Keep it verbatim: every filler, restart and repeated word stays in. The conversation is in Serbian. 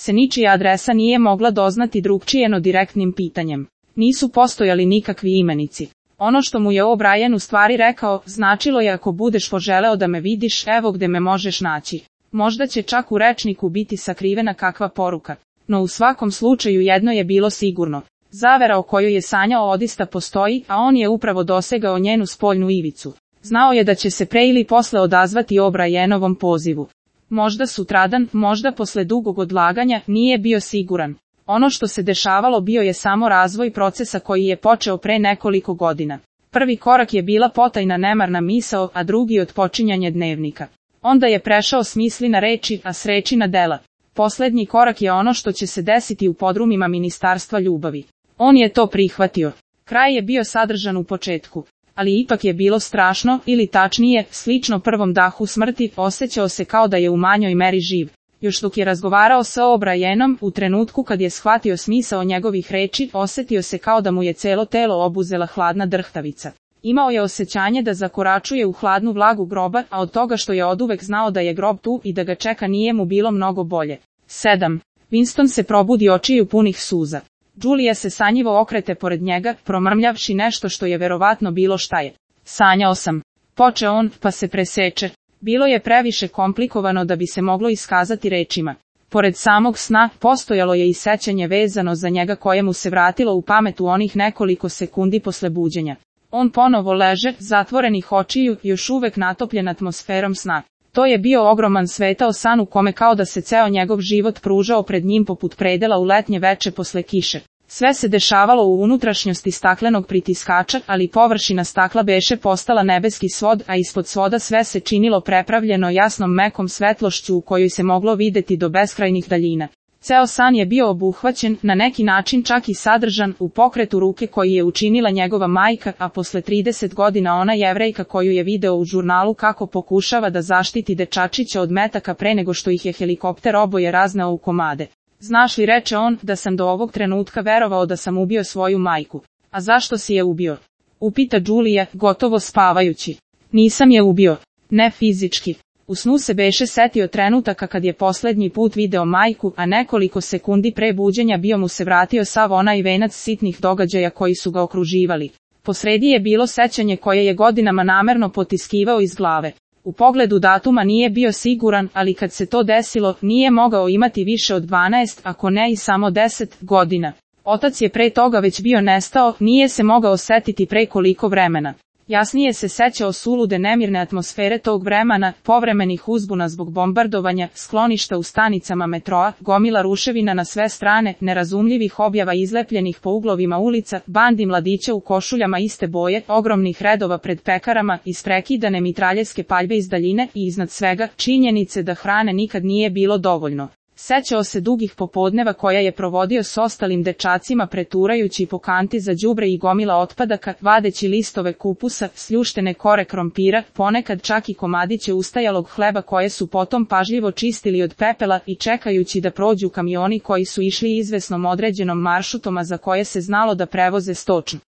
se ničija adresa nije mogla doznati drugčije no direktnim pitanjem. Nisu postojali nikakvi imenici. Ono što mu je O'Brien u stvari rekao, značilo je ako budeš poželeo da me vidiš, evo gde me možeš naći. Možda će čak u rečniku biti sakrivena kakva poruka. No u svakom slučaju jedno je bilo sigurno. Zavera o kojoj je sanjao odista postoji, a on je upravo dosegao njenu spoljnu ivicu. Znao je da će se pre ili posle odazvati O'Brienovom pozivu. Možda sutradan, možda posle dugog odlaganja, nije bio siguran. Ono što se dešavalo bio je samo razvoj procesa koji je počeo pre nekoliko godina. Prvi korak je bila potajna nemarna misao, a drugi otpočinjanje dnevnika. Onda je prešao s misli na reči, a s reči na dela. Poslednji korak je ono što će se desiti u podrumima Ministarstva ljubavi. On je to prihvatio. Kraj je bio sadržan u početku. Ali ipak je bilo strašno, ili tačnije, slično prvom dahu smrti, osjećao se kao da je u manjoj meri živ. Još dok je razgovarao sa O'Brienom, u trenutku kad je shvatio smisao njegovih reči, osjetio se kao da mu je celo telo obuzela hladna drhtavica. Imao je osjećanje da zakoračuje u hladnu vlagu groba, a od toga što je oduvek znao da je grob tu i da ga čeka nije mu bilo mnogo bolje. sedam. Winston se probudi očiju punih suza. Julia se sanjivo okrete pored njega, promrmljavši nešto što je verovatno bilo šta je. Sanjao sam. Poče on, pa se preseče. Bilo je previše komplikovano da bi se moglo iskazati rečima. Pored samog sna, postojalo je i sećanje vezano za njega koje mu se vratilo u pamet u onih nekoliko sekundi posle buđenja. On ponovo leže, zatvorenih očiju, još uvek natopljen atmosferom sna. To je bio ogroman svetao san u kome kao da se ceo njegov život pružao pred njim poput predela u letnje veče posle kiše. Sve se dešavalo u unutrašnjosti staklenog pritiskača, ali površina stakla beše postala nebeski svod, a ispod svoda sve se činilo prepravljeno jasnom mekom svetlošću u kojoj se moglo videti do beskrajnih daljina. Ceo san je bio obuhvaćen, na neki način čak i sadržan, u pokretu ruke koji je učinila njegova majka, a posle trideset godina ona Jevrejka koju je video u žurnalu kako pokušava da zaštiti dečačića od metaka pre nego što ih je helikopter oboje razneo u komade. Znaš li, reče on, da sam do ovog trenutka verovao da sam ubio svoju majku. A zašto si je ubio? Upita Julia, gotovo spavajući. Nisam je ubio. Ne fizički. U snu se beše setio trenutaka kad je poslednji put video majku, a nekoliko sekundi pre buđenja bio mu se vratio sav onaj venac sitnih događaja koji su ga okruživali. Posredi je bilo sećanje koje je godinama namerno potiskivao iz glave. U pogledu datuma nije bio siguran, ali kad se to desilo, nije mogao imati više od dvanaest, ako ne i samo deset, godina. Otac je pre toga već bio nestao, nije se mogao setiti pre koliko vremena. Jasnije se sećao sulude nemirne atmosfere tog vremena, povremenih uzbuna zbog bombardovanja, skloništa u stanicama metroa, gomila ruševina na sve strane, nerazumljivih objava izlepljenih po uglovima ulica, bandi mladića u košuljama iste boje, ogromnih redova pred pekarama, isprekidane mitraljeske paljbe iz daljine i iznad svega, činjenice da hrane nikad nije bilo dovoljno. Sećao se dugih popodneva koja je provodio s ostalim dečacima preturajući po kanti za đubre i gomila otpadaka, vadeći listove kupusa, sljuštene kore krompira, ponekad čak i komadiće ustajalog hleba koje su potom pažljivo čistili od pepela i čekajući da prođu kamioni koji su išli izvesnom određenom maršrutom a za koje se znalo da prevoze stočnu